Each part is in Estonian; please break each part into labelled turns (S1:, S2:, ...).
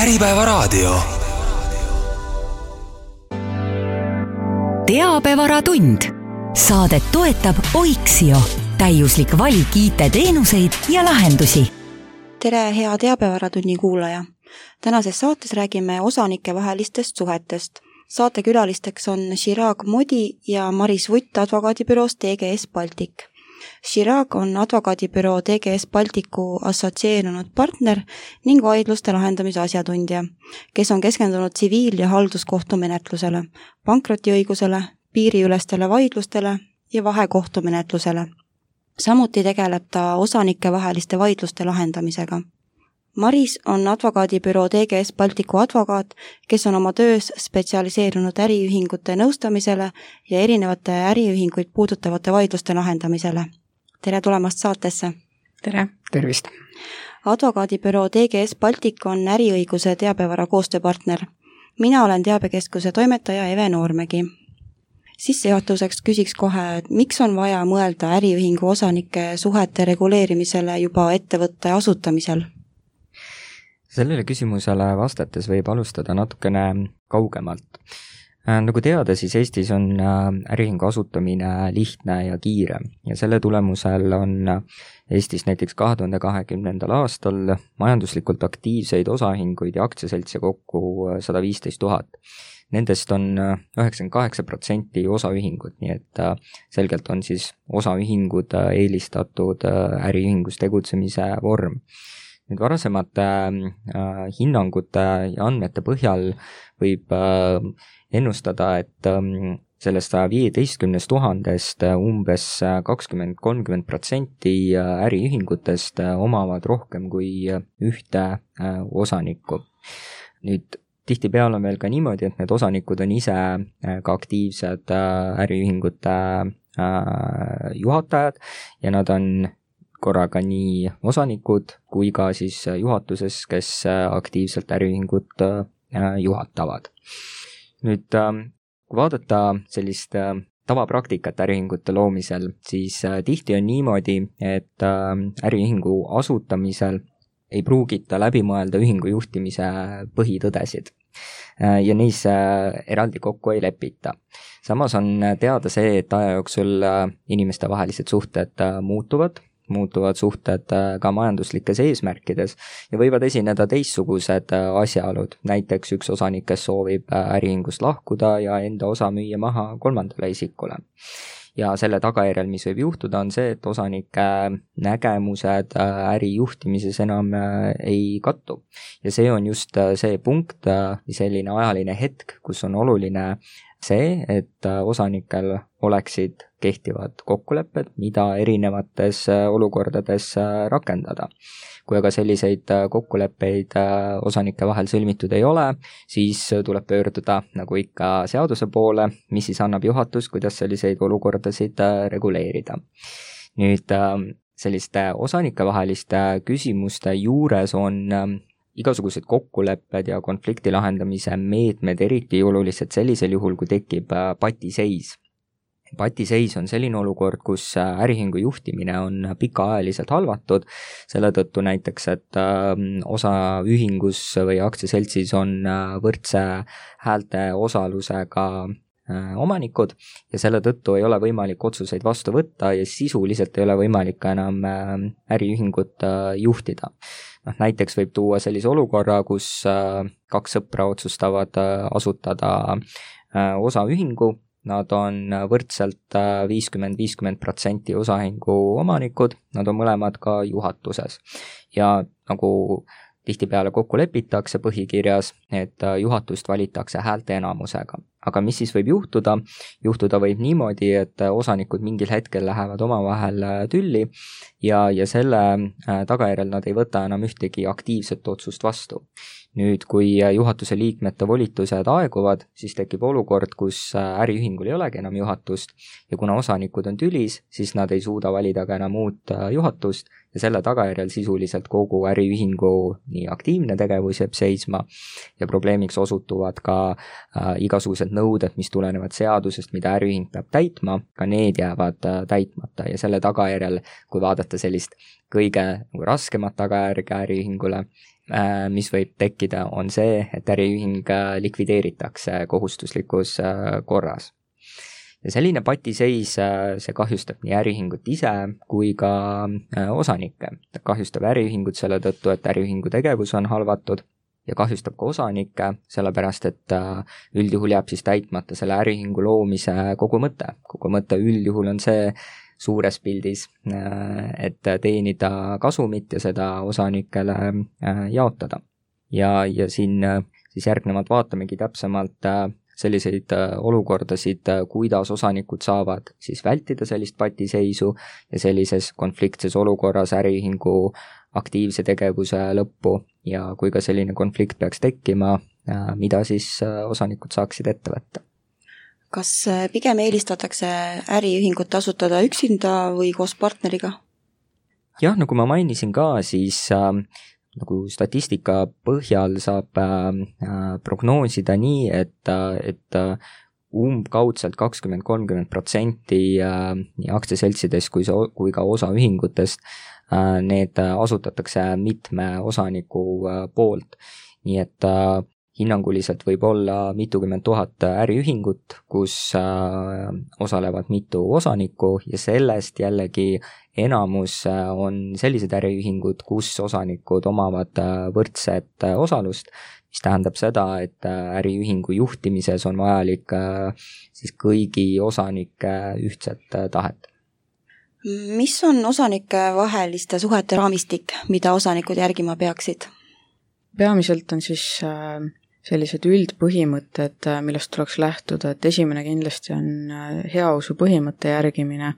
S1: Äripäevaraadio.
S2: Teabevaratund. Saadet toetab Oiksio. Täiuslik valik IT-teenuseid ja lahendusi.
S3: Tere, hea Teabevaраtunni kuulaja. Tänases saates räägime osanike vahelistest suhetest. Saatekülalisteks on Chirag Modi ja Maris Vutt advokaadibüroos TGS Baltic. Chirag on advokaadibüroo TGS Balticu assotsieerunud partner ning vaidluste lahendamise asjatundja, kes on keskendunud tsiviil- ja halduskohtumenetlusele, pankrotiõigusele, piiriülestele vaidlustele ja vahekohtumenetlusele. Samuti tegeleb ta osanike vaheliste vaidluste lahendamisega. Maris on advokaadibüroo TGS Balticu advokaat, kes on oma töös spetsialiseerunud äriühingute nõustamisele ja erinevate äriühinguid puudutavate vaidluste lahendamisele. Tere tulemast saatesse!
S4: Tere! Tervist!
S3: Advokaadibüroo TGS Baltic on äriõiguse teabevara koostööpartner. Mina olen teabekeskuse toimetaja Eve Noormägi. Sissejuhatuseks küsiks kohe, miks on vaja mõelda äriühingu osanike suhete reguleerimisele juba ettevõtte asutamisel?
S4: Sellele küsimusele vastates võib alustada natukene kaugemalt. Nagu teada, siis Eestis on äriühingu asutamine lihtne ja kiire ja selle tulemusel on Eestis näiteks 2020. aastal majanduslikult aktiivseid osaühinguid ja aktsiaseltse kokku 115 000. Nendest on 98% osaühingud, nii et selgelt on siis osaühingud eelistatud äriühingus tegutsemise vorm. Nüüd varasemate hinnangute ja andmete põhjal võib ennustada, et sellest 115 000 umbes 20-30% äriühingutest omavad rohkem kui ühte osanikku. Nüüd tihtipeale on veel ka niimoodi, et need osanikud on ise ka aktiivsed äriühingute juhatajad ja nad on korraga nii osanikud kui ka siis juhatuses, kes aktiivselt äriühingut juhatavad. Nüüd, kui vaadata sellist tavapraktikat äriühingute loomisel, siis tihti on niimoodi, et äriühingu asutamisel ei pruugita läbi mõelda ühingu juhtimise põhitõdesid ja neis eraldi kokku ei lepita. Samas on teada see, et aja jooksul inimeste vahelised suhted muutuvad suhted ka majanduslikes eesmärkides ja võivad esineda teistsugused asjaolud. Näiteks üks osanik, kes soovib äriühingust lahkuda ja enda osa müüa maha kolmandale isikule. Ja selle tagajärjel, mis võib juhtuda, on see, et osanike nägemused äri juhtimises enam ei kattu. Ja see on just see punkt, selline ajaline hetk, kus on oluline see, et osanikel oleksid kehtivad kokkulepped, mida erinevates olukordades rakendada. Kui aga selliseid kokkuleppeid osanike vahel sõlmitud ei ole, siis tuleb pöörduda nagu ikka seaduse poole, mis siis annab juhatus, kuidas selliseid olukordasid reguleerida. Nüüd selliste osanike vaheliste küsimuste juures on igasugused kokkulepped ja konflikti lahendamise meetmed eriti olulised sellisel juhul, kui tekib patiseis. Patiseis on selline olukord, kus äriühingu juhtimine on pikaajaliselt halvatud, selle tõttu näiteks, et osaühingus või aktsiaseltsis on võrdse häälte osalusega omanikud ja selle tõttu ei ole võimalik otsuseid vastu võtta ja sisuliselt ei ole võimalik enam äriühingut juhtida. Näiteks võib tuua sellise olukorra, kus kaks sõpra otsustavad asutada osaühingu, nad on võrdselt 50-50% osaühingu omanikud, nad on mõlemad ka juhatuses ja nagu tihtipeale kokku lepitakse põhikirjas, et juhatust valitakse häälte enamusega. Aga mis siis võib juhtuda? Juhtuda võib niimoodi, et osanikud mingil hetkel lähevad omavahel tülli ja selle tagajärjel nad ei võta enam ühtegi aktiivset otsust vastu. Nüüd, kui juhatuse liikmete volitused aeguvad, siis tekib olukord, kus äriühingul ei olegi enam juhatust ja kuna osanikud on tülis, siis nad ei suuda valida ka enam uut juhatust ja selle tagajärjel sisuliselt kogu äriühingu nii aktiivne tegevus jääb seisma ja probleemiks osutuvad ka igasugused nõuded, mis tulenevad seadusest, mida äriühing peab täitma, ka need jäävad täitmata ja selle tagajärjel, kui vaadata sellist kõige raskemat tagajärge äriühingule, mis võib tekkida, on see, et äriühing likvideeritakse kohustuslikus korras. Ja selline patiseis, see kahjustab nii äriühingut ise kui ka osanikke. Ta kahjustab äriühingut selle tõttu, et äriühingu tegevus on halvatud ja kahjustab ka osanikke, sellepärast et üldjuhul jääb siis täitmata selle äriühingu loomise kogu mõte. Kogu mõte üldjuhul on see suures pildis, et teenida kasumit ja seda osanikele jaotada. Ja siin siis järgnevalt vaatamegi täpsemalt selliseid olukordasid, kuidas osanikud saavad siis vältida sellist patiseisu ja sellises konfliktses olukorras äriühingu aktiivse tegevuse lõppu ja kui ka selline konflikt peaks tekkima, mida siis osanikud saaksid ette võtta.
S3: Kas pigem eelistatakse äriühingut asutada üksinda või koos partneriga?
S4: Jah, nagu ma mainisin ka, siis nagu statistika põhjal saab prognoosida nii, et umbkaudselt 20-30% nii aktsiaseltsides kui ka osaühingutest need asutatakse mitme osaniku poolt. Nii et hinnanguliselt võib olla mitukümmend tuhat äriühingut, kus osalevad mitu osanikku ja sellest jällegi enamus on sellised äriühingud, kus osanikud omavad võrdset osalust, mis tähendab seda, et äriühingu juhtimises on vajalik siis kõigi osanike ühtset tahet.
S3: Mis on osanike vaheliste suhete raamistik, mida osanikud järgima peaksid?
S1: Peamiselt on siis sellised üldpõhimõtted, millest tuleks lähtuda, et esimene kindlasti on heausu põhimõtte järgimine,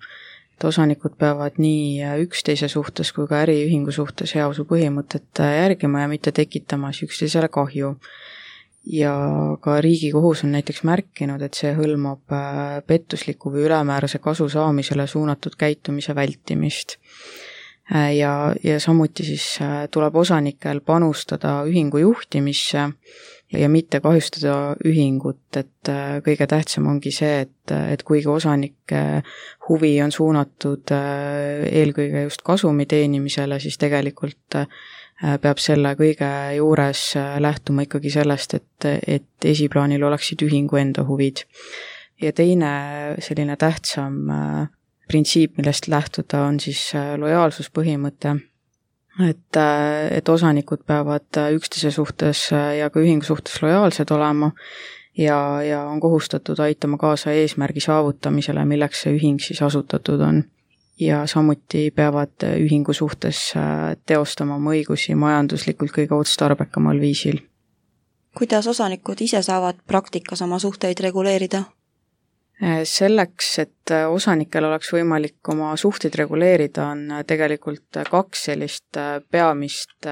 S1: et osanikud peavad nii üksteise suhtes kui ka äriühingu suhtes heausu põhimõtet järgima ja mitte tekitama üksteisele kahju. Ja ka Riigikohus on näiteks märkinud, et see hõlmab pettusliku või ülemäärase kasu saamisele suunatud käitumise vältimist. Ja samuti siis tuleb osanikel panustada ühingu juhtimisse ja mitte kahjustada ühingut, et kõige tähtsam ongi see, et kuigi osanike huvi on suunatud eelkõige just kasumi teenimisele, siis tegelikult peab selle kõige juures lähtuma ikkagi sellest, et esiplaanil oleksid ühingu enda huvid. Ja teine selline tähtsam printsiip, millest lähtuda, on siis lojaalsuspõhimõte, et osanikud peavad üksteise suhtes ja ka ühingu suhtes lojaalsed olema ja on kohustatud aitama kaasa eesmärgi saavutamisele, milleks see ühing siis asutatud on. Ja samuti peavad ühingu suhtes teostama oma õigusi majanduslikult kõige otstarbekamal viisil.
S3: Kuidas osanikud ise saavad praktikas oma suhteid reguleerida?
S1: Selleks, et osanikel oleks võimalik oma suhteid reguleerida, on tegelikult kaks sellist peamist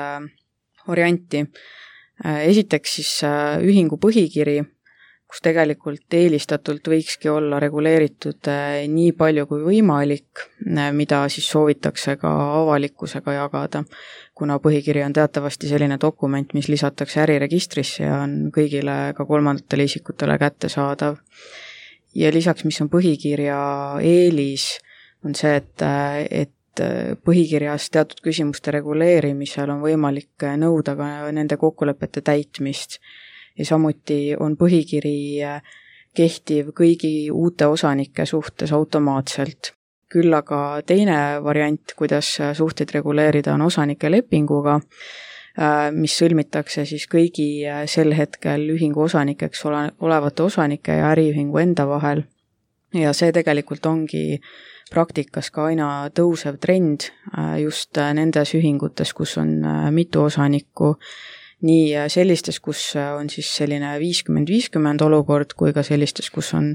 S1: varianti. Esiteks siis ühingu põhikiri, kus tegelikult eelistatult võikski olla reguleeritud nii palju kui võimalik, mida siis soovitakse ka avalikkusega jagada, kuna põhikiri on teatavasti selline dokument, mis lisatakse äriregistrisse ja on kõigile ka kolmandatele isikutele kättesaadav. Ja lisaks, mis on põhikirja eelis, on see, et põhikirjas teatud küsimuste reguleerimisel on võimalik nõuda ka nende kokkulepete täitmist. Ja samuti on põhikiri kehtiv kõigi uute osanike suhtes automaatselt. Küll aga teine variant, kuidas suhteid reguleerida, on osanike lepinguga, mis sõlmitakse siis kõigi sel hetkel ühingu osanikeks olevate osanike ja äriühingu enda vahel. Ja see tegelikult ongi praktikas ka aina tõusev trend just nendes ühingutes, kus on mitu osanikku, nii sellistes, kus on siis selline 50-50 olukord, kui ka sellistes, kus on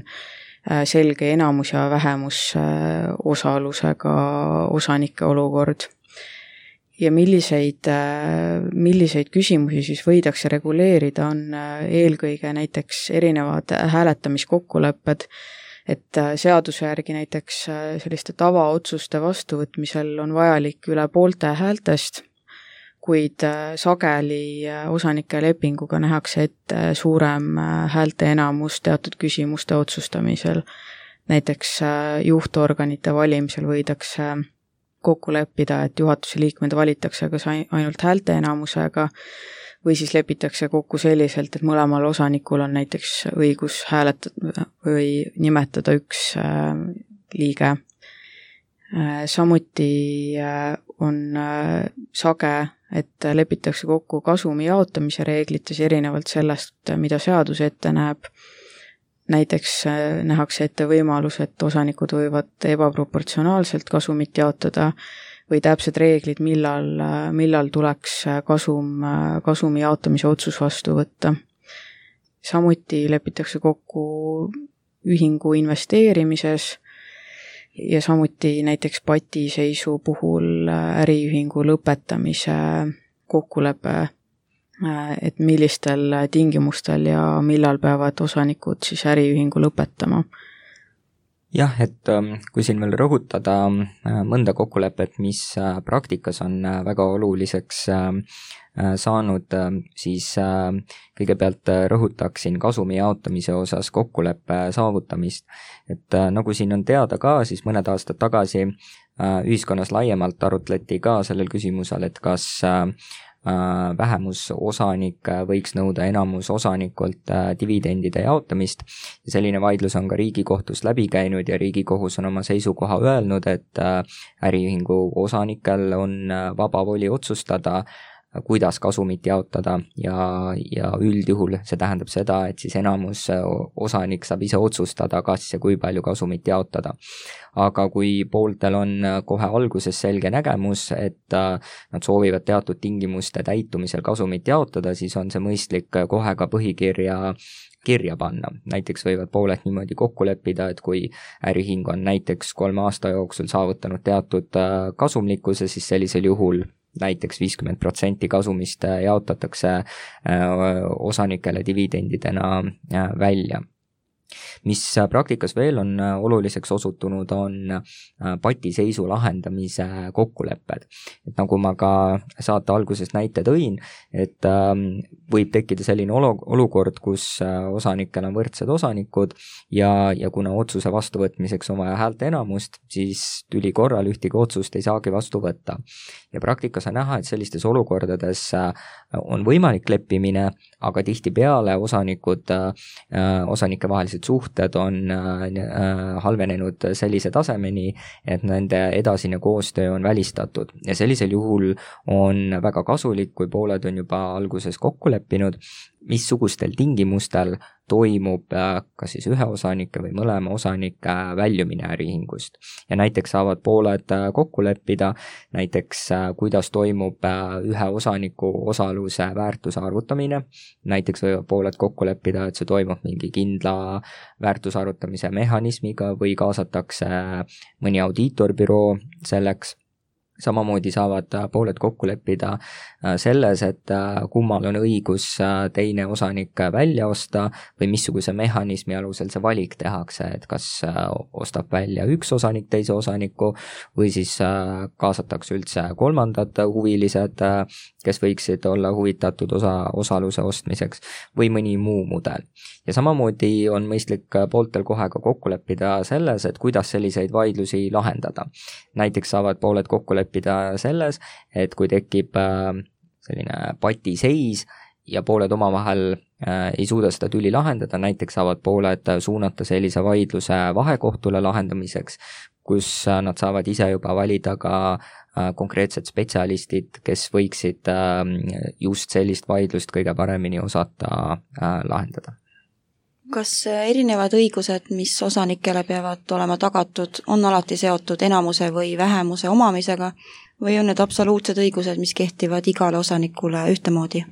S1: selge enamus ja vähemus osalusega osanike olukord. Ja milliseid küsimusi siis võidakse reguleerida, on eelkõige näiteks erinevad hääletamiskokkulepped, et seaduse järgi näiteks selliste tavaotsuste vastuvõtmisel on vajalik üle poolte häältest, kuid sageli osanike lepinguga nähakse ette suurem häälte enamus teatud küsimuste otsustamisel. Näiteks juhtorganite valimisel võidakse kokku leppida, et juhatuse liikmed valitakse kas ainult häälteenamusega või siis lepitakse kokku selliselt, et mõlemal osanikul on näiteks õigus hääletada või nimetada üks liige. Samuti on sage, et lepitakse kokku kasumi jaotamise reeglites erinevalt sellest, mida seadus ette näeb. Näiteks nähakse ette võimalus, et osanikud võivad ebaproportsionaalselt kasumit jaotada või täpsed reeglid, millal tuleks kasumi jaotamise otsus vastu võtta. Samuti lepitakse kokku ühingu investeerimises ja samuti näiteks patiseisu puhul äriühingu lõpetamise kokkulepe, et millistel tingimustel ja millal peavad osanikud siis äriühingu lõpetama.
S4: Jah, et kui siin veel rõhutada mõnda kokkulepet, mis praktikas on väga oluliseks saanud, siis kõigepealt rõhutaksin kasumi jaotamise osas kokkuleppe saavutamist. Et nagu siin on teada ka, siis mõned aastad tagasi ühiskonnas laiemalt arutleti ka sellel küsimusel, et kas vähemusosanik võiks nõuda enamusosanikult dividendide jaotamist. Ja selline vaidlus on ka Riigikohtus läbi käinud ja Riigikohus on oma seisukoha öelnud, et äriühingu osanikel on vaba voli otsustada, kuidas kasumit jaotada ja üldjuhul see tähendab seda, et siis enamus osanik saab ise otsustada, kas ja kui palju kasumit jaotada. Aga kui pooltel on kohe alguses selge nägemus, et nad soovivad teatud tingimuste täitumisel kasumit jaotada, siis on see mõistlik kohe ka kirja panna. Näiteks võivad pooled niimoodi kokku leppida, et kui äriühing on näiteks 3 aasta jooksul saavutanud teatud kasumlikkuse, siis sellisel juhul näiteks 50% kasumist jaotatakse osanikele dividendidena välja. Mis praktikas veel on oluliseks osutunud, on patiseisu lahendamise kokkulepped. Et nagu ma ka saate alguses näite tõin, et võib tekkida selline olukord, kus osanikel on võrdsed osanikud ja kuna otsuse vastuvõtmiseks on vaja häälte enamust, siis tüli korral ühtegi otsust ei saagi vastu võtta. Ja praktikas on näha, et sellistes olukordades on võimalik leppimine, aga tihtipeale osanike vahelised suhted on halvenenud sellise tasemeni, et nende edasine koostöö on välistatud. Ja sellisel juhul on väga kasulik, kui pooled on juba alguses kokku leppinud, missugustel tingimustel toimub kas siis ühe osanike või mõlema osanike väljumine äriühingust. Ja näiteks saavad pooled kokku leppida, näiteks kuidas toimub ühe osaniku osaluse väärtuse arvutamine. Näiteks võivad pooled kokku leppida, et see toimub mingi kindla väärtuse arvutamise mehhanismiga või kaasatakse mõni audiitorbüroo selleks. Samamoodi saavad pooled kokku leppida selles, et kummal on õigus teine osanik välja osta või missuguse mehhanismi alusel see valik tehakse, et kas ostab välja üks osanik teise osaniku või siis kaasatakse üldse kolmandad huvilised, kes võiksid olla huvitatud osaluse ostmiseks või mõni muu mudel. Ja samamoodi on mõistlik pooltel kohe ka kokku leppida selles, et kuidas selliseid vaidlusi lahendada. Näiteks saavad pooled kokku leppida selles, et kui tekib selline patiseis ja pooled omavahel ei suuda seda tüli lahendada, näiteks saavad pooled suunata sellise vaidluse vahekohtule lahendamiseks, kus nad saavad ise juba valida ka konkreetsed spetsialistid, kes võiksid just sellist vaidlust kõige paremini osata lahendada.
S3: Kas erinevad õigused, mis osanikele peavad olema tagatud, on alati seotud enamuse või vähemuse omamisega või on need absoluutsed õigused, mis kehtivad igale osanikule ühtemoodi?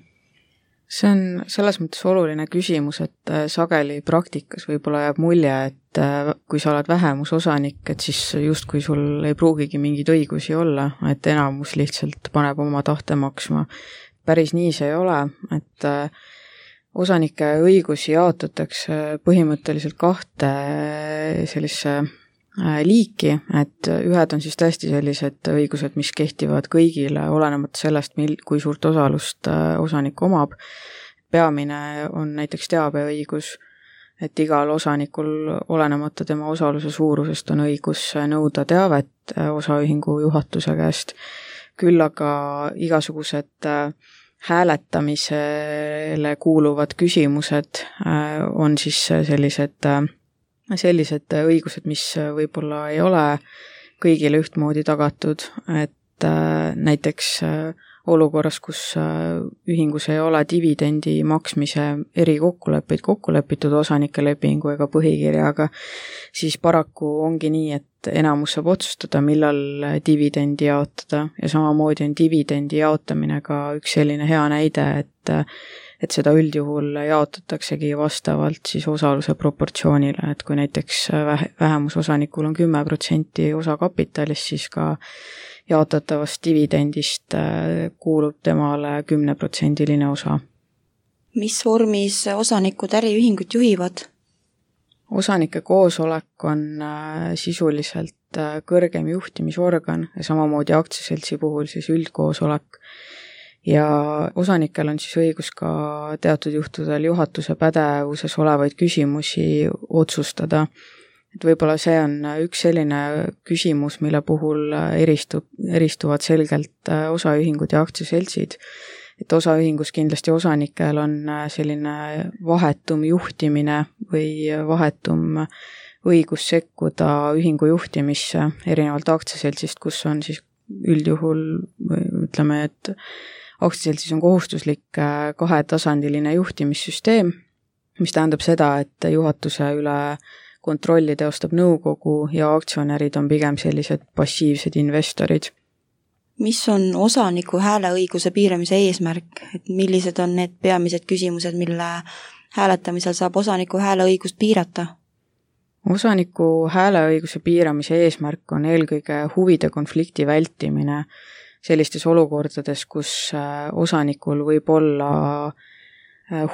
S1: See on selles mõttes oluline küsimus, et sageli praktikas võib-olla jääb mulje, et kui sa oled vähemusosanik, et siis justkui sul ei pruugigi mingeid õigusi olla, et enamus lihtsalt paneb oma tahte maksma. Päris nii see ei ole, et osanike õigusi jaotatakse põhimõtteliselt 2 sellise liiki, et ühed on siis tõesti sellised õigused, mis kehtivad kõigile, olenemata sellest, kui suurt osalust osanik omab. Peamine on näiteks teabeõigus, et igal osanikul, olenemata tema osaluse suurusest, on õigus nõuda teavet osaühingu juhatuse käest, küll aga igasugused hääletamisele kuuluvad küsimused on siis sellised õigused, mis võib-olla ei ole kõigile ühtmoodi tagatud, et näiteks olukorras, kus ühingus ei ole dividendi maksmise erikokkuleppeid kokku lepitud osanike lepingu ega põhikirjaga, siis paraku ongi nii, et enamus saab otsustada, millal dividendi jaotada ja samamoodi on dividendi jaotamine ka üks selline hea näide, et seda üldjuhul jaotataksegi vastavalt siis osaluse proportsioonile, et kui näiteks vähemusosanikul on 10% osakapitalist, siis ka jaotatavast dividendist kuulub temale 10% osa.
S3: Mis vormis osanikud äriühingut juhivad?
S1: Osanike koosolek on sisuliselt kõrgem juhtimisorgan ja samamoodi aktsiaseltsi puhul siis üldkoosolek. Ja osanikel on siis õigus ka teatud juhtudel juhatuse pädevuses olevaid küsimusi otsustada. Et võib-olla see on üks selline küsimus, mille puhul eristuvad selgelt osaühingud ja aktsiaseltsid. Et osaühingus kindlasti osanikel on selline vahetum juhtimine või vahetum õigus sekkuda ühingu juhtimisse erinevalt aktsiaseltsist, kus on siis üldjuhul, ütleme, et aktsiaseltsis on kohustuslik kahetasandiline juhtimissüsteem, mis tähendab seda, et juhatuse üle kontrolli teostab nõukogu ja aktsionärid on pigem sellised passiivsed investorid.
S3: Mis on osaniku hääleõiguse piiramise eesmärk? Et millised on need peamised küsimused, mille hääletamisel saab osaniku hääleõigust piirata?
S1: Osaniku hääleõiguse piiramise eesmärk on eelkõige huvide konflikti vältimine sellistes olukordades, kus osanikul võib olla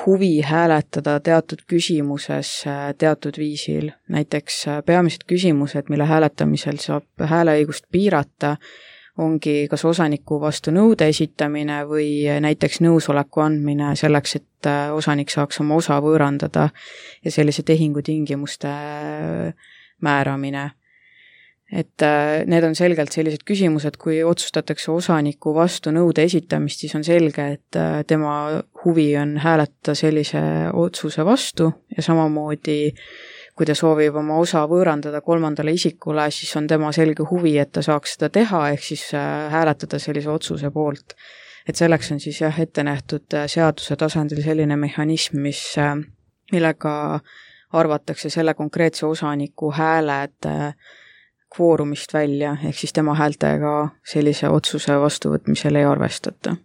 S1: huvi hääletada teatud küsimuses teatud viisil. Näiteks peamised küsimused, mille hääletamisel saab hääleõigust piirata, ongi kas osaniku vastu nõude esitamine või näiteks nõusoleku andmine selleks, et osanik saaks oma osa võõrandada ja sellise tehingu tingimuste määramine. Et need on selgelt sellised küsimused, kui otsustatakse osaniku vastu nõude esitamist, siis on selge, et tema huvi on hääletada sellise otsuse vastu ja samamoodi, kui ta soovib oma osa võõrandada kolmandale isikule, siis on tema selge huvi, et ta saaks seda teha, ehk siis hääletada sellise otsuse poolt. Et selleks on siis ette nähtud seaduse tasandil selline mehhanism, millega arvatakse selle konkreetse osaniku hääled kvoorumist välja, ehk siis tema häältega sellise otsuse vastuvõtmisel ei arvestata.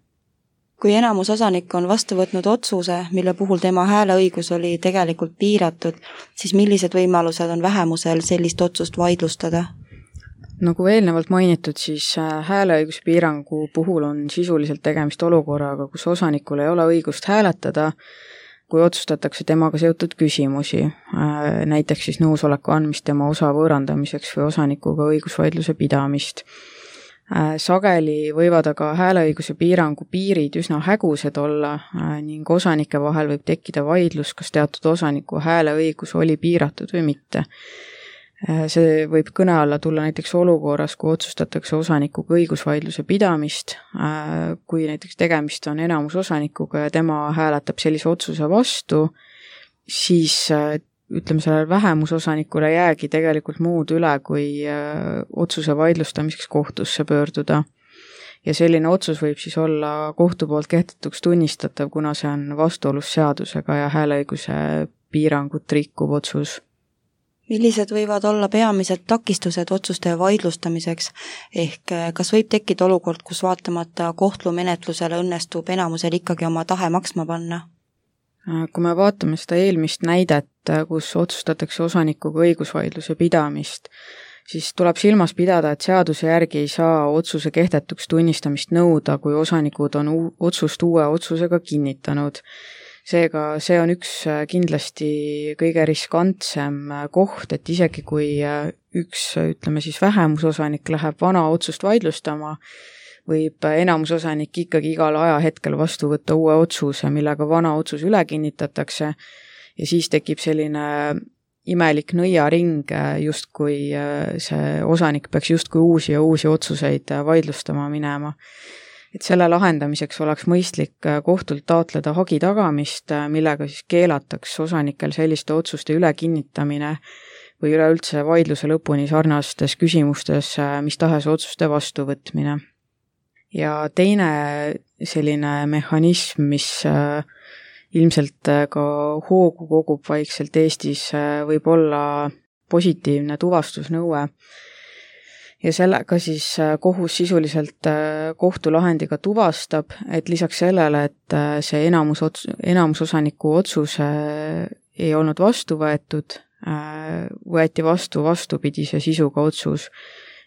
S3: Kui enamus osanik on vastu võtnud otsuse, mille puhul tema hääleõigus oli tegelikult piiratud, siis millised võimalused on vähemusel sellist otsust vaidlustada?
S1: Nagu eelnevalt mainitud, siis hääleõiguse piirangu puhul on sisuliselt tegemist olukorraga, kus osanikul ei ole õigust hääletada, kui otsustatakse temaga seotud küsimusi, näiteks siis nõusoleku andmist tema osa võõrandamiseks või osanikuga õigusvaidluse pidamist. Sageli võivad aga hääleõiguse piirangu piirid üsna hägused olla ning osanike vahel võib tekkida vaidlus, kas teatud osaniku hääleõigus oli piiratud või mitte. See võib kõne alla tulla näiteks olukorras, kui otsustatakse osanikuga õigusvaidluse pidamist, kui näiteks tegemist on enamusosanikuga ja tema hääletab sellise otsuse vastu, siis ütleme, sellel vähemusosanikule jäägi tegelikult muud üle, kui otsuse vaidlustamiseks kohtusse pöörduda. Ja selline otsus võib siis olla kohtu poolt kehtetuks tunnistatav, kuna see on vastuolus seadusega ja hääleõiguse piirangut rikkuv otsus.
S3: Millised võivad olla peamised takistused otsuste vaidlustamiseks, ehk kas võib tekkida olukord, kus vaatamata kohtumenetlusele õnnestub enamusel ikkagi oma tahe maksma panna?
S1: Kui me vaatame seda eelmist näidet, kus otsustatakse osanikuga õigusvaidluse pidamist, siis tuleb silmas pidada, et seaduse järgi ei saa otsuse kehtetuks tunnistamist nõuda, kui osanikud on otsust uue otsusega kinnitanud. Seega see on üks kindlasti kõige riskantsem koht, et isegi kui üks, ütleme siis vähemusosanik läheb vana otsust vaidlustama, võib enamusosanik ikkagi igal ajahetkel vastu võtta uue otsuse, millega vana otsus üle kinnitatakse ja siis tekib selline imelik nõiaring, justkui see osanik peaks justkui uusi ja uusi otsuseid vaidlustama minema. Et selle lahendamiseks oleks mõistlik kohtult taotleda hagi tagamist, millega siis keelataks osanikel selliste otsuste ülekinnitamine või üleüldse vaidluse lõpuni sarnastes küsimustes mis tahes otsuste vastuvõtmine. Ja teine selline mehhanism, mis ilmselt ka hoogu kogub vaikselt Eestis, võib olla positiivne tuvastusnõue. Ja sellega siis kohus sisuliselt kohtulahendiga tuvastab, et lisaks sellele, et see enamusosaniku otsus ei olnud vastu võetud, võeti vastu vastupidise sisuga otsus.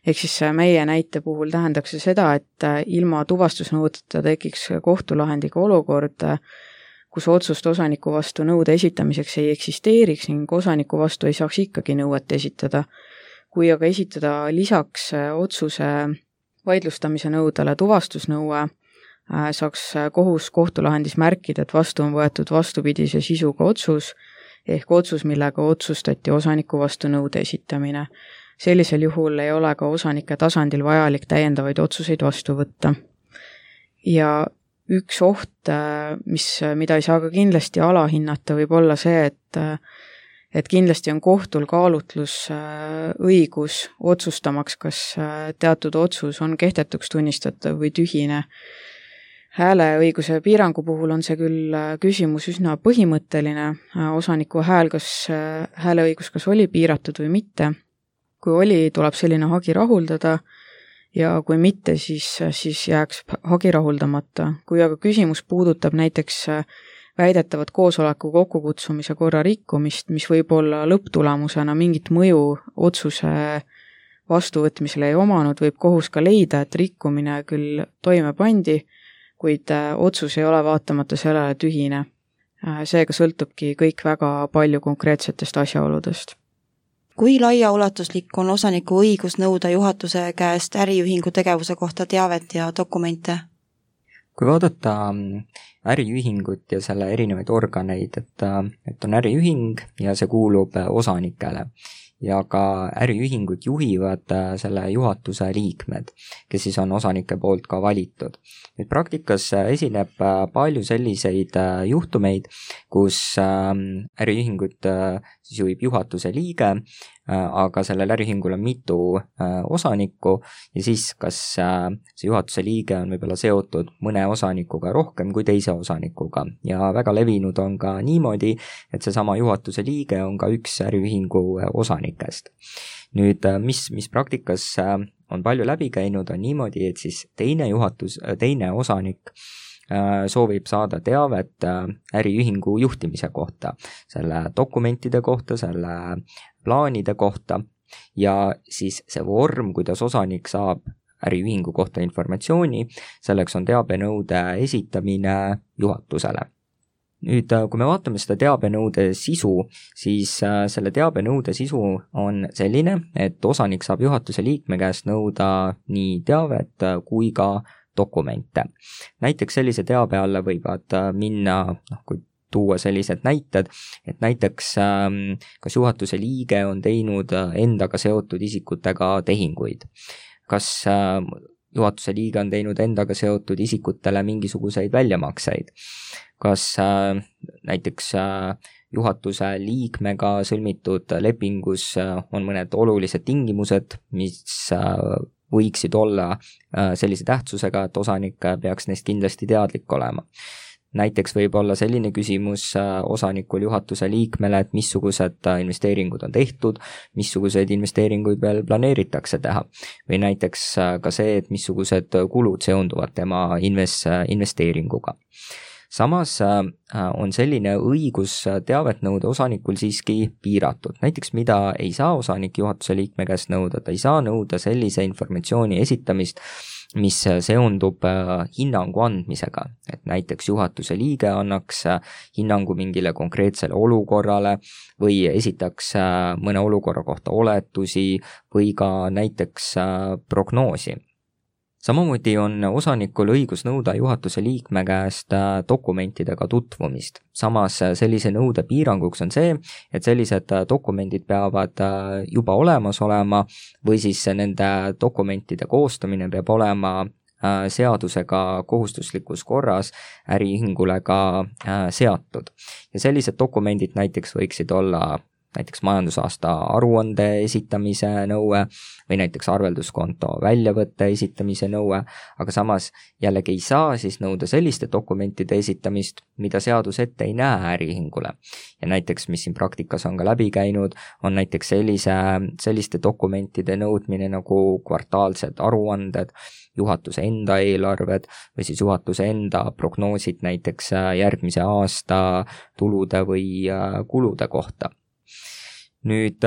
S1: Ehk siis meie näite puhul tähendaks see seda, et ilma tuvastusnõudeta tekiks kohtulahendiga olukord, kus otsust osaniku vastu nõude esitamiseks ei eksisteeriks ning osaniku vastu ei saaks ikkagi nõuet esitada. Kui aga esitada lisaks otsuse vaidlustamise nõudele tuvastusnõue, saaks kohus kohtulahendis märkida, et vastu on võetud vastupidise sisuga otsus, ehk otsus, millega otsustati osaniku vastu nõude esitamine. Sellisel juhul ei ole ka osanike tasandil vajalik täiendavaid otsuseid vastu võtta. Ja üks oht, mida ei saa ka kindlasti alahinnata, võib olla see, et kindlasti on kohtul kaalutlus õigus otsustamaks, kas teatud otsus on kehtetuks tunnistatav või tühine. Hääleõiguse piirangu puhul on see küll küsimus üsna põhimõtteline, osaniku hääleõigus kas oli piiratud või mitte. Kui oli, tuleb selline hagi rahuldada ja kui mitte, siis jääks hagi rahuldamata. Kui aga küsimus puudutab näiteks väidetavat koosoleku kokkukutsumise korra rikkumist, mis võib olla lõpptulemusena mingit mõju otsuse vastuvõtmisele ei omanud, võib kohus ka leida, et rikkumine küll toime pandi, kuid otsus ei ole vaatamata sellele tühine. Seega sõltubki kõik väga palju konkreetsetest asjaoludest.
S3: Kui laiaulatuslik on osaniku õigus nõuda juhatuse käest äriühingu tegevuse kohta teavet ja dokumente?
S4: Kui vaadata äriühingut ja selle erinevaid organeid, et on äriühing ja see kuulub osanikele ja ka äriühingut juhivad selle juhatuse liikmed, kes siis on osanike poolt ka valitud. Nüüd praktikas esineb palju selliseid juhtumeid, kus äriühingut siis juhib juhatuse liige, aga sellel äriühingul on mitu osanikku ja siis kas see juhatuse liige on võib-olla seotud mõne osanikuga rohkem kui teise osanikuga ja väga levinud on ka niimoodi, et seesama juhatuse liige on ka üks äriühingu osanikest. Nüüd, mis praktikas on palju läbi käinud, on niimoodi, et siis teine osanik soovib saada teavet äriühingu juhtimise kohta, selle dokumentide kohta, selle plaanide kohta ja siis see vorm, kuidas osanik saab äriühingu kohta informatsiooni, selleks on teabenõude esitamine juhatusele. Nüüd, kui me vaatame seda teabenõude sisu, siis selle teabenõude sisu on selline, et osanik saab juhatuse liikme käest nõuda nii teavet kui ka dokumente. Näiteks sellise teabe alla võivad minna, kui tuua sellised näited, et näiteks kas juhatuse liige on teinud endaga seotud isikutega tehinguid, kas juhatuse liige on teinud endaga seotud isikutele mingisuguseid väljamakseid, kas näiteks juhatuse liikmega sõlmitud lepingus on mõned olulised tingimused, mis võiksid olla sellise tähtsusega, et osanik peaks neist kindlasti teadlik olema. Näiteks võib olla selline küsimus osanikul juhatuse liikmele, et missugused investeeringud on tehtud, missuguseid investeeringuid veel planeeritakse teha. Või näiteks ka see, et missugused kulud seonduvad tema investeeringuga. Samas on selline õigus teavet nõuda osanikul siiski piiratud. Näiteks mida ei saa osanik juhatuse liikme käest nõuda, ta ei saa nõuda sellise informatsiooni esitamist, mis seondub hinnangu andmisega, et näiteks juhatuse liige annaks hinnangu mingile konkreetsele olukorrale või esitaks mõne olukorra kohta oletusi või ka näiteks prognoosi. samamoodi on osanikul õigus nõuda juhatuse liikme käest dokumentidega tutvumist. Samas sellise nõude piiranguks on see, et sellised dokumendid peavad juba olemas olema või siis nende dokumentide koostamine peab olema seadusega kohustuslikus korras äriühingule ka seatud. Ja sellised dokumendid näiteks võiksid olla näiteks majandusaasta aruande esitamise nõue või näiteks arvelduskonto väljavõtte esitamise nõue, aga samas jällegi ei saa siis nõuda selliste dokumentide esitamist, mida seadus ette ei näe äriühingule. Ja näiteks, mis siin praktikas on ka läbi käinud, on näiteks selliste dokumentide nõudmine nagu kvartaalsed aruanded, juhatuse enda eelarved või siis juhatuse enda prognoosid näiteks järgmise aasta tulude või kulude kohta. Nüüd,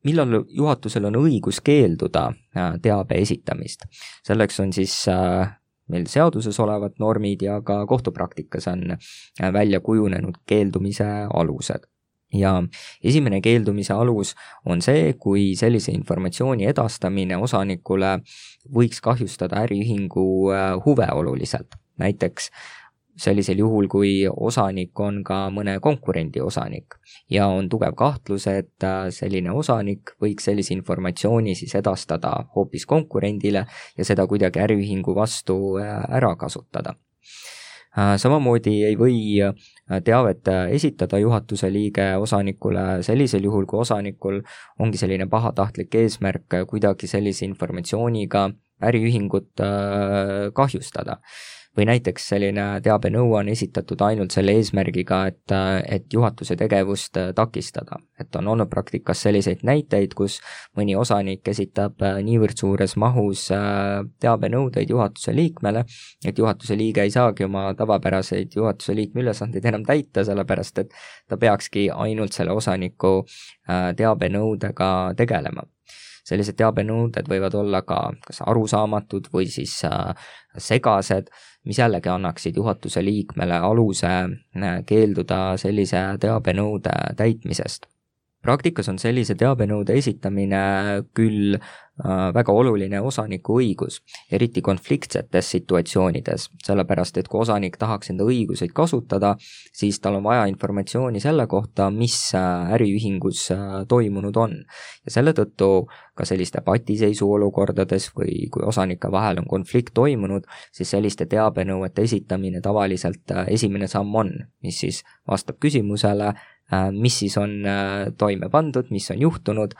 S4: millal juhatusel on õigus keelduda teabe esitamist? Selleks on siis meil seaduses olevad normid ja ka kohtupraktikas on välja kujunenud keeldumise alused. Ja esimene keeldumise alus on see, kui sellise informatsiooni edastamine osanikule võiks kahjustada äriühingu huve oluliselt. Näiteks sellisel juhul, kui osanik on ka mõne konkurendi osanik ja on tugev kahtlus, et selline osanik võiks sellise informatsiooni siis edastada hoopis konkurendile ja seda kuidagi äriühingu vastu ära kasutada. Samamoodi ei või teavet esitada juhatuse liige osanikule sellisel juhul, kui osanikul ongi selline pahatahtlik eesmärk kuidagi sellise informatsiooniga äriühingut kahjustada. Või näiteks selline teabenõue on esitatud ainult selle eesmärgiga, et juhatuse tegevust takistada. Et on olnud praktikas selliseid näiteid, kus mõni osanik esitab niivõrd suures mahus teabenõudeid juhatuse liikmele, et juhatuse liige ei saagi oma tavapäraseid juhatuse liikme ülesandeid enam täita, sellepärast et ta peakski ainult selle osaniku teabenõudega tegelema. Sellised teabenõuded võivad olla ka kas arusaamatud või siis segased, mis jällegi annaksid juhatuse liikmele aluse keelduda sellise teabenõude täitmisest. Praktikas on sellise teabenõude esitamine küll väga oluline osaniku õigus, eriti konfliktsetes situatsioonides, sellepärast et kui osanik tahaks enda õiguseid kasutada, siis tal on vaja informatsiooni selle kohta, mis äriühingus toimunud on. Ja selle tõttu ka selliste patiseisu olukordades või kui osanike vahel on konflikt toimunud, siis selliste teabenõuete esitamine tavaliselt esimene samm on, mis siis vastab küsimusele, mis siis on toime pandud, mis on juhtunud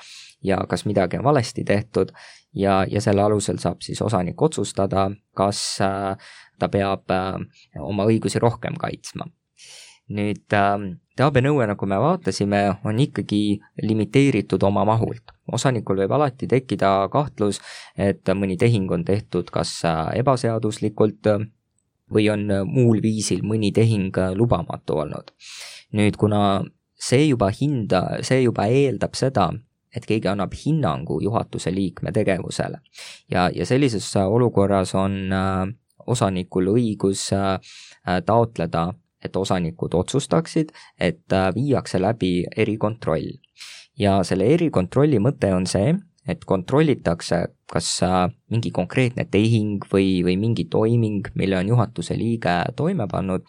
S4: ja kas midagi on valesti tehtud ja selle alusel saab siis osanik otsustada, kas ta peab oma õigusi rohkem kaitsma. Nüüd teabenõue, nagu me vaatasime, on ikkagi limiteeritud oma mahult. Osanikul võib alati tekkida kahtlus, et mõni tehing on tehtud kas ebaseaduslikult või on muul viisil mõni tehing lubamatu olnud. Nüüd, kuna see juba eeldab seda, et keegi annab hinnangu juhatuse liikme tegevusele ja sellises olukorras on osanikul õigus taotleda, et osanikud otsustaksid, et viiakse läbi erikontroll. Ja selle erikontrolli mõte on see, et kontrollitakse, kas mingi konkreetne tehing või mingi toiming, mille on juhatuse liige toime pannud,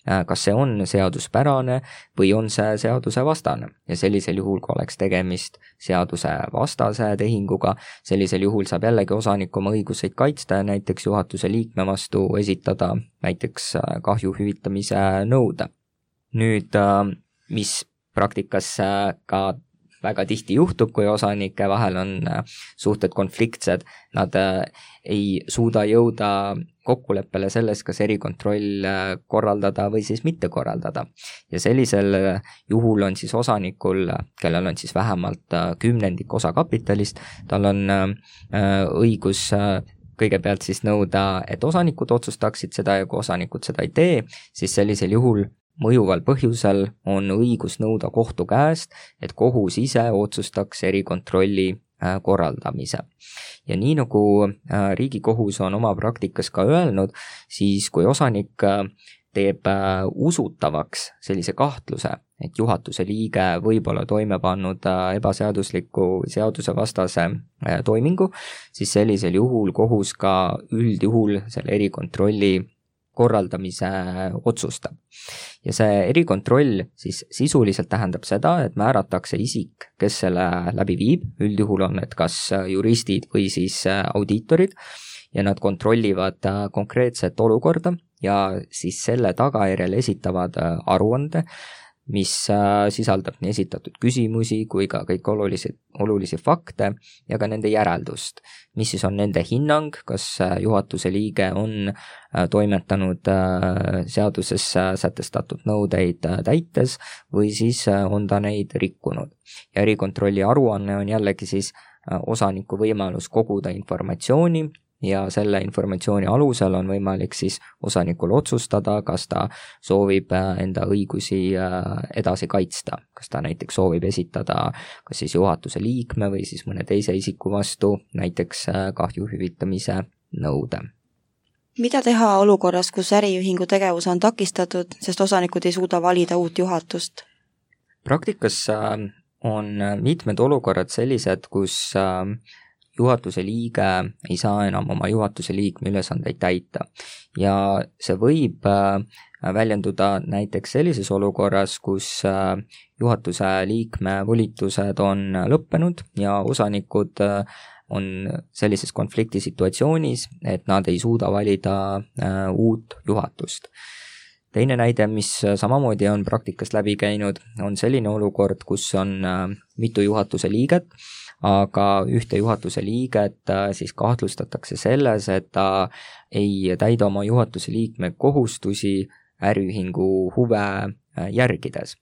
S4: kas see on seaduspärane või on see seadusevastane. Ja sellisel juhul, kui oleks tegemist seadusevastase tehinguga, sellisel juhul saab jällegi osanik oma õiguseid kaitsta ja näiteks juhatuse liikme vastu esitada näiteks kahju hüvitamise nõude. Nüüd, mis praktikas ka väga tihti juhtub, kui osanike vahel on suhted konfliktsed, nad ei suuda jõuda kokkuleppele selles, kas erikontroll korraldada või siis mitte korraldada. Ja sellisel juhul on siis osanikul, kellel on siis vähemalt 10% osakapitalist, tal on õigus kõigepealt siis nõuda, et osanikud otsustaksid seda ja kui osanikud seda ei tee, siis sellisel juhul mõjuval põhjusel on õigus nõuda kohtu käest, et kohus ise otsustaks erikontrolli korraldamise. Ja nii nagu Riigikohus on oma praktikas ka öelnud, siis kui osanik teeb usutavaks sellise kahtluse, et juhatuse liige võib olla toime pannud ebaseadusliku seadusevastase toimingu, siis sellisel juhul kohus ka üldjuhul selle erikontrolli korraldamise otsustab. Ja see erikontroll siis sisuliselt tähendab seda, et määratakse isik, kes selle läbi viib, üldjuhul on need kas juristid või siis audiitorid, ja nad kontrollivad konkreetset olukorda ja siis selle tagajärjel esitavad aruande, mis sisaldab nii esitatud küsimusi kui ka kõik olulisi fakte ja ka nende järeldust, mis siis on nende hinnang, kas juhatuse liige on toimetanud seaduses sätestatud nõudeid täites või siis on ta neid rikkunud. Ja erikontrolli aruanne on jällegi siis osaniku võimalus koguda informatsiooni ja selle informatsiooni alusel on võimalik siis osanikul otsustada, kas ta soovib enda õigusi edasi kaitsta, kas ta näiteks soovib esitada kas siis juhatuse liikme või siis mõne teise isiku vastu näiteks kahju hüvitamise nõude.
S3: Mida teha olukorras, kus äriühingu tegevus on takistatud, sest osanikud ei suuda valida uut juhatust?
S4: Praktikas on mitmed olukorrad sellised, kus juhatuse liige ei saa enam oma juhatuse liikme ülesandeid täita ja see võib väljenduda näiteks sellises olukorras, kus juhatuse liikme volitused on lõppenud ja osanikud on sellises konfliktisituatsioonis, et nad ei suuda valida uut juhatust. Teine näide, mis samamoodi on praktikast läbi käinud, on selline olukord, kus on mitu juhatuse liiget, aga ühte juhatuse liiget siis kahtlustatakse selles, et ta ei täida oma juhatuse liikme kohustusi äriühingu huve järgides.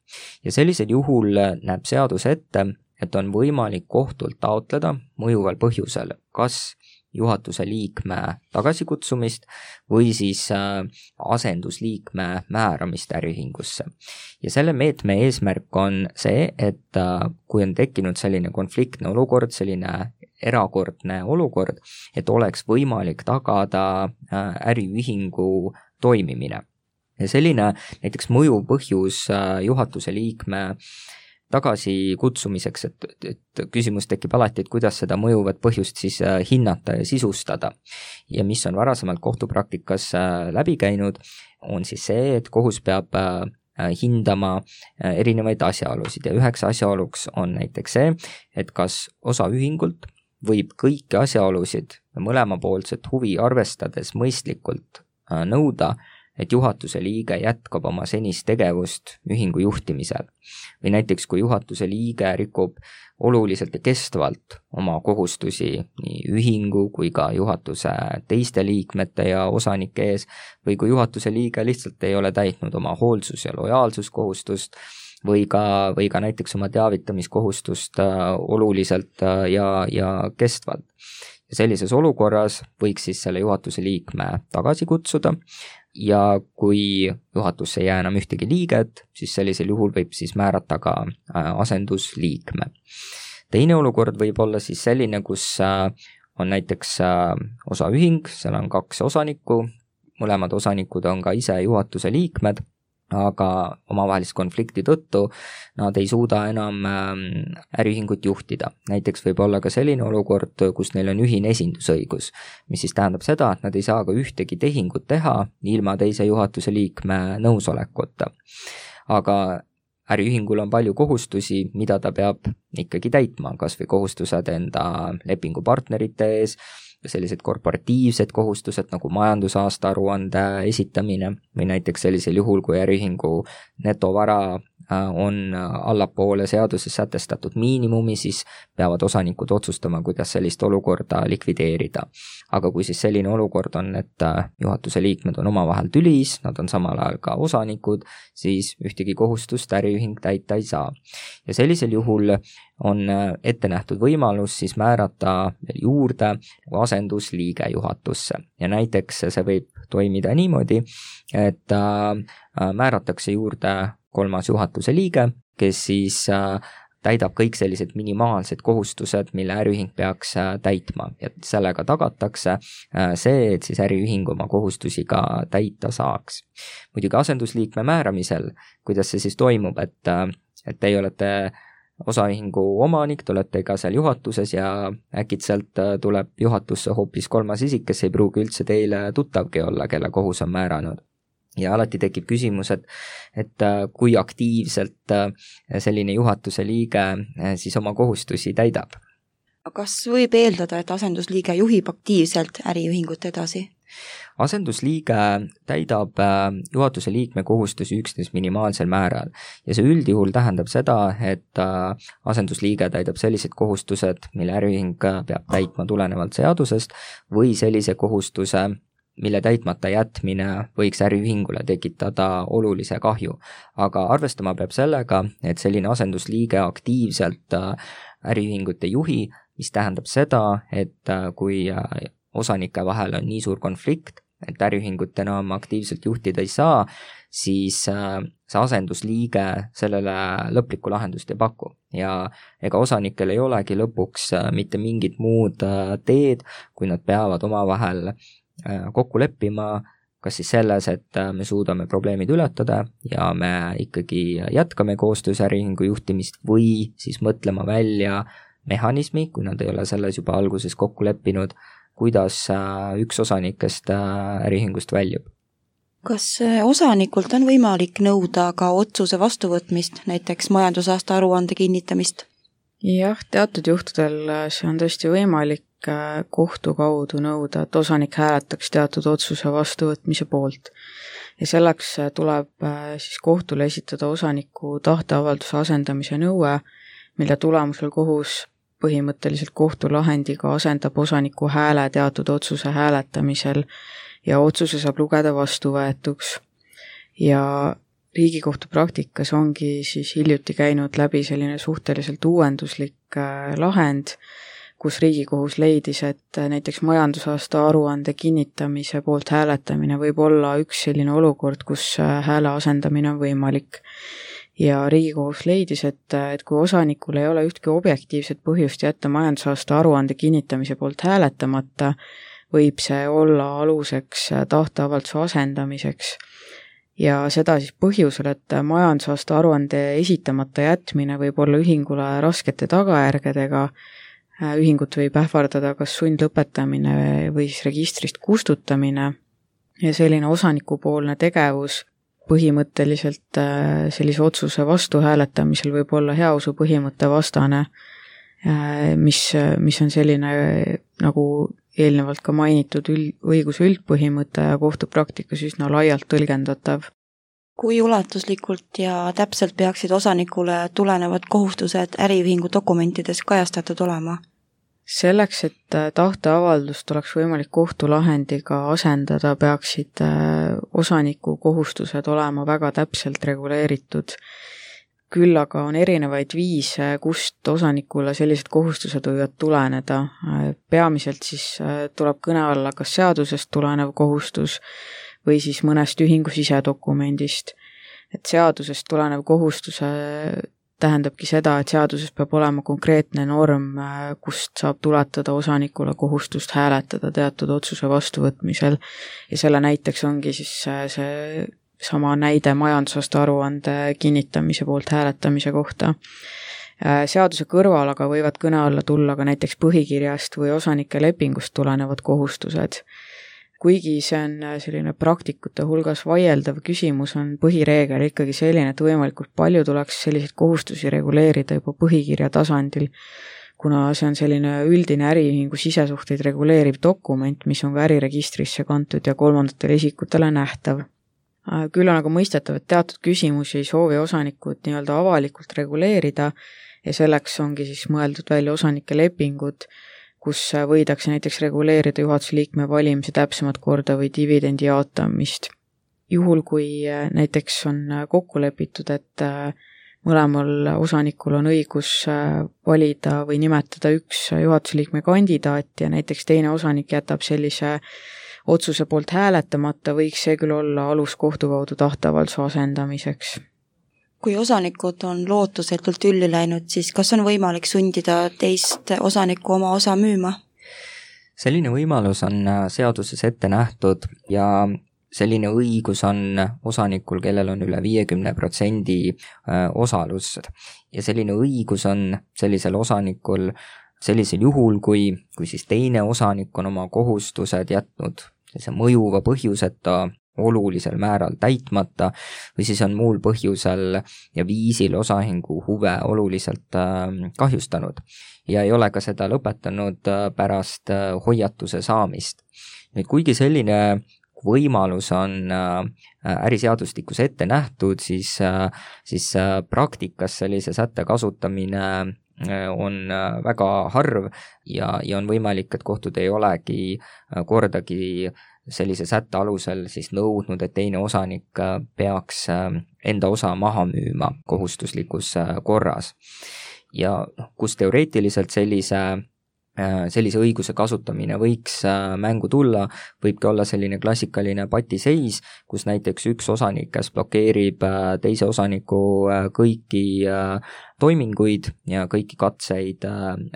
S4: Ja sellisel juhul näeb seadus ette, et on võimalik kohtult taotleda mõjuval põhjusel, kas juhatuse liikme tagasikutsumist või siis asendusliikme määramist äriühingusse. Ja selle meetme eesmärk on see, et kui on tekkinud selline konfliktne olukord, selline erakordne olukord, et oleks võimalik tagada äriühingu toimimine. Ja selline näiteks mõjuv põhjus juhatuse liikme tagasikutsumiseks, et küsimus tekib alati, et kuidas seda mõjuvat põhjust siis hinnata ja sisustada. Ja mis on varasemalt kohtupraktikas läbi käinud, on siis see, et kohus peab hindama erinevaid asjaolusid ja üheks asjaoluks on näiteks see, et kas osaühingult võib kõiki asjaolusid mõlemapoolset huvi arvestades mõistlikult nõuda, et juhatuse liige jätkab oma senist tegevust ühingu juhtimisel. Või näiteks, kui juhatuse liige rikub oluliselt ja kestvalt oma kohustusi nii ühingu kui ka juhatuse teiste liikmete ja osanike ees, või kui juhatuse liige lihtsalt ei ole täitnud oma hoolsus- ja lojaalsuskohustust, või ka näiteks oma teavitamiskohustust oluliselt ja kestvalt. Ja sellises olukorras võiks siis selle juhatuse liikme tagasi kutsuda, ja kui juhatusse ei jää enam ühtegi liiget, siis sellisel juhul võib siis määrata ka asendusliikme. Teine olukord võib olla siis selline, kus on näiteks osaühing, seal on 2 osanikku, mõlemad osanikud on ka ise juhatuse liikmed, aga omavahelist konflikti tõttu nad ei suuda enam äriühingut juhtida. Näiteks võib olla ka selline olukord, kus neil on ühine esindusõigus, mis siis tähendab seda, et nad ei saa ka ühtegi tehingut teha ilma teise juhatuse liikme nõusolekuta. Aga äriühingul on palju kohustusi, mida ta peab ikkagi täitma, kas või kohustused enda lepingupartnerite ees, sellised korporatiivsed kohustused nagu majandusaasta aruande esitamine või näiteks sellisel juhul, kui äriühingu netovara on allapoole seaduses sätestatud miinimumi, siis peavad osanikud otsustama, kuidas sellist olukorda likvideerida. Aga kui siis selline olukord on, et juhatuse liikmed on omavahel tülis, nad on samal ajal ka osanikud, siis ühtegi kohustust äriühing täita ei saa. Ja sellisel juhul on ette nähtud võimalus siis määrata veel juurde asendusliige juhatusse. Ja näiteks see võib toimida niimoodi, et määratakse juurde 3. juhatuse liige, kes siis täidab kõik sellised minimaalsed kohustused, mille äriühing peaks täitma ja sellega tagatakse see, et siis äriühing oma kohustusi ka täita saaks. Muidugi asendusliikme määramisel, kuidas see siis toimub, et teie olete osaühingu omanik, te olete ka seal juhatuses ja äkitselt tuleb juhatusse hoopis kolmas isik, kes ei pruugi üldse teile tuttavgi olla, kelle kohus on määranud. Ja alati tekib küsimus, et kui aktiivselt selline juhatuse liige siis oma kohustusi täidab.
S3: Kas võib eeldada, et asendusliige juhib aktiivselt äriühingut edasi?
S4: Asendusliige täidab juhatuse liikme kohustusi üksnes minimaalsel määral ja see üldjuhul tähendab seda, et asendusliige täidab sellised kohustused, mille äriühing peab täitma tulenevalt seadusest või sellise kohustuse, mille täitmata jätmine võiks äriühingule tekitada olulise kahju. Aga arvestama peab sellega, et selline asendusliige aktiivselt äriühingut ei juhi, mis tähendab seda, et kui osanike vahel on nii suur konflikt, et äriühingut enam aktiivselt juhtida ei saa, siis see asendusliige sellele lõplikku lahendust ei paku. Ja ega osanikel ei olegi lõpuks mitte mingit muud teed, kui nad peavad omavahel kokku leppima, kas siis selles, et me suudame probleemid ületada ja me ikkagi jätkame koostöös äriühingu juhtimist või siis mõtlema välja mehhanismi, kui nad ei ole selles juba alguses kokku leppinud, kuidas üks osanikest äriühingust väljub.
S3: Kas osanikult on võimalik nõuda ka otsuse vastuvõtmist, näiteks majandusaasta aruande kinnitamist?
S1: Jah, teatud juhtudel see on tõesti võimalik kohtu kaudu nõuda, et osanik hääletaks teatud otsuse vastuvõtmise poolt. Ja selleks tuleb siis kohtule esitada osaniku tahteavalduse asendamise nõue, mille tulemusel kohus põhimõtteliselt kohtulahendiga asendab osaniku hääle teatud otsuse hääletamisel ja otsuse saab lugeda vastuvõetuks. Ja Riigikohtu praktikas ongi siis hiljuti käinud läbi selline suhteliselt uuenduslik lahend, kus Riigikohus leidis, et näiteks majandusaasta aruande kinnitamise poolt hääletamine võib olla üks selline olukord, kus hääle asendamine on võimalik. Ja Riigikohus leidis, et kui osanikul ei ole ühtki objektiivset põhjust jätta majandusaasta aruande kinnitamise poolt hääletamata, võib see olla aluseks tahteavalduse asendamiseks. Ja seda siis põhjusel, et majandusaasta aruande esitamata jätmine võib olla ühingule raskete tagajärgedega, ühingut võib ähvardada kas sundlõpetamine või siis registrist kustutamine ja selline osanikupoolne tegevus põhimõtteliselt sellise otsuse vastu hääletamisel võib olla heausu põhimõtte vastane, mis on selline, nagu eelnevalt ka mainitud, õiguse üldpõhimõte ja kohtupraktikas üsna laialt tõlgendatav.
S3: Kui ulatuslikult ja täpselt peaksid osanikule tulenevad kohustused äriühingu dokumentides kajastatud olema?
S1: Selleks, et tahteavaldust oleks võimalik kohtulahendiga asendada, peaksid osaniku kohustused olema väga täpselt reguleeritud. Küll aga on erinevaid viise, kust osanikule sellised kohustused võivad tuleneda. Peamiselt siis tuleb kõne alla kas seadusest tulenev kohustus või siis mõnest ühingu sisedokumendist. Et seadusest tulenev kohustuse tähendabki seda, et seaduses peab olema konkreetne norm, kust saab tuletada osanikule kohustust hääletada teatud otsuse vastuvõtmisel ja selle näiteks ongi siis see sama näide majandusaasta aruande kinnitamise poolt hääletamise kohta. Seaduse kõrval aga võivad kõne alla tulla ka näiteks põhikirjast või osanike lepingust tulenevad kohustused. Kuigi see on selline praktikute hulgas vaieldav küsimus, on põhireegel ikkagi selline, et võimalikult palju tuleks selliseid kohustusi reguleerida juba põhikirja tasandil, kuna see on selline üldine äriühingu sisesuhteid reguleeriv dokument, mis on ka äriregistrisse kantud ja kolmandatele isikutele nähtav. Küll on aga mõistetav, et teatud küsimusi ei soovi osanikud nii-öelda avalikult reguleerida ja selleks ongi siis mõeldud välja osanike lepingud, kus võidakse näiteks reguleerida juhatuse liikme valimise täpsemat korda või dividendi jaotamist. Juhul, kui näiteks on kokku lepitud, et mõlemal osanikul on õigus valida või nimetada üks juhatuse liikme kandidaat ja näiteks teine osanik jätab sellise otsuse poolt hääletamata, võiks see küll olla alus kohtu kaudu tahteavalduse asendamiseks.
S3: Kui osanikud on lootusetult ülli läinud, siis kas on võimalik sundida teist osanikku oma osa müüma?
S4: Selline võimalus on seaduses ette nähtud ja selline õigus on osanikul, kellel on üle 50% osalust. Ja selline õigus on sellisel osanikul sellisel juhul, kui siis teine osanik on oma kohustused jätnud sellise mõjuva põhjuseta olulisel määral täitmata või siis on muul põhjusel ja viisil osaühingu huve oluliselt kahjustanud ja ei ole ka seda lõpetanud pärast hoiatuse saamist. Nüüd, kuigi selline võimalus on äriseadustikus ette nähtud, siis praktikas sellise sätte kasutamine on väga harv ja on võimalik, et kohtud ei olegi kordagi sellise sätte alusel siis nõudnud, et teine osanik peaks enda osa maha müüma kohustuslikus korras. Ja kus teoreetiliselt sellise õiguse kasutamine võiks mängu tulla, võibki olla selline klassikaline patiseis, kus näiteks üks osanik, kes blokeerib teise osaniku kõiki toiminguid ja kõiki katseid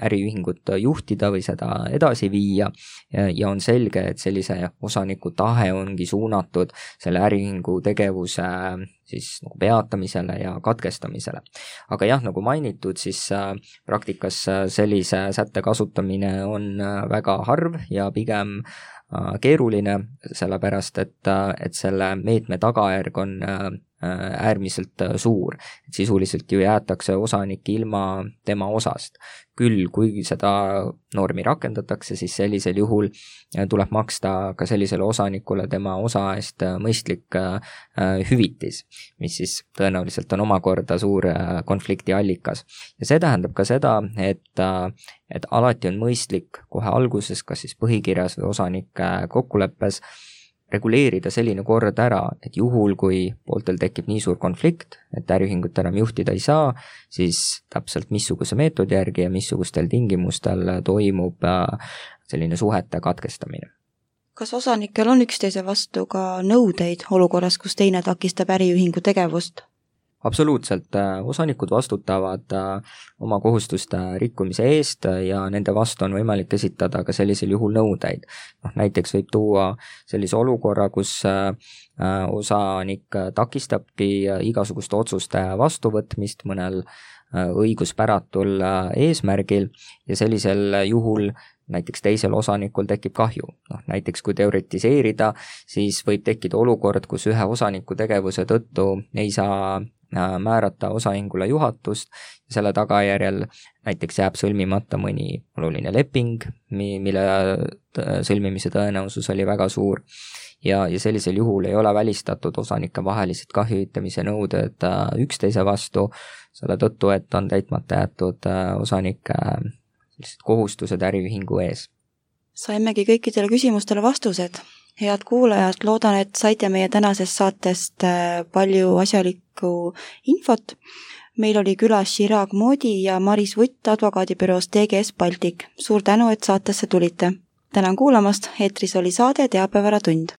S4: äriühingut juhtida või seda edasi viia ja on selge, et sellise osaniku tahe ongi suunatud selle äriühingu tegevuse siis nagu peatamisele ja katkestamisele. Aga jah, nagu mainitud, siis praktikas sellise sätte kasutamine on väga harv ja pigem keeruline, sellepärast et selle meetme tagajärg on äärmiselt suur. Et sisuliselt ju jäetakse osanik ilma tema osast. Küll, kui seda normi rakendatakse, siis sellisel juhul tuleb maksta ka sellisele osanikule tema osa eest mõistlik hüvitis, mis siis tõenäoliselt on omakorda suur konflikti allikas. Ja see tähendab ka seda, et alati on mõistlik kohe alguses, kas siis põhikirjas või osanike kokkuleppes, reguleerida selline kord ära, et juhul, kui pooltel tekib nii suur konflikt, et äriühingut enam juhtida ei saa, siis täpselt missuguse meetodi järgi ja missugustel tingimustel toimub selline suhete katkestamine.
S3: Kas osanikel on üksteise vastu ka nõudeid olukorras, kus teine takistab äriühingu tegevust?
S4: Absoluutselt, osanikud vastutavad oma kohustuste rikkumise eest ja nende vastu on võimalik esitada ka sellisel juhul nõudeid. Näiteks võib tuua sellise olukorra, kus osanik takistabki igasuguste otsuste vastuvõtmist mõnel õiguspäratul eesmärgil ja sellisel juhul näiteks teisel osanikul tekib kahju. Näiteks kui teoretiseerida, siis võib tekkida olukord, kus ühe osaniku tegevuse tõttu ei saa määrata osaühingule juhatust ja selle tagajärjel näiteks jääb sõlmimata mõni oluline leping, mille sõlmimise tõenäosus oli väga suur ja sellisel juhul ei ole välistatud osanike vahelised kahjuhüvitamise nõuded üksteise vastu, selle tõttu, et on täitmata jäetud osanike kohustused äriühingu ees.
S3: Saimegi kõikidele küsimustele vastused. Head kuulajad, loodan, et saite meie tänasest saatest palju asjalikku infot. Meil oli külas Chirag Modi ja Maris Vutt advokaadibüroost TGS Baltic. Suur tänu, et saatesse tulite. Tänan kuulamast, eetris oli saade Teabevaratund.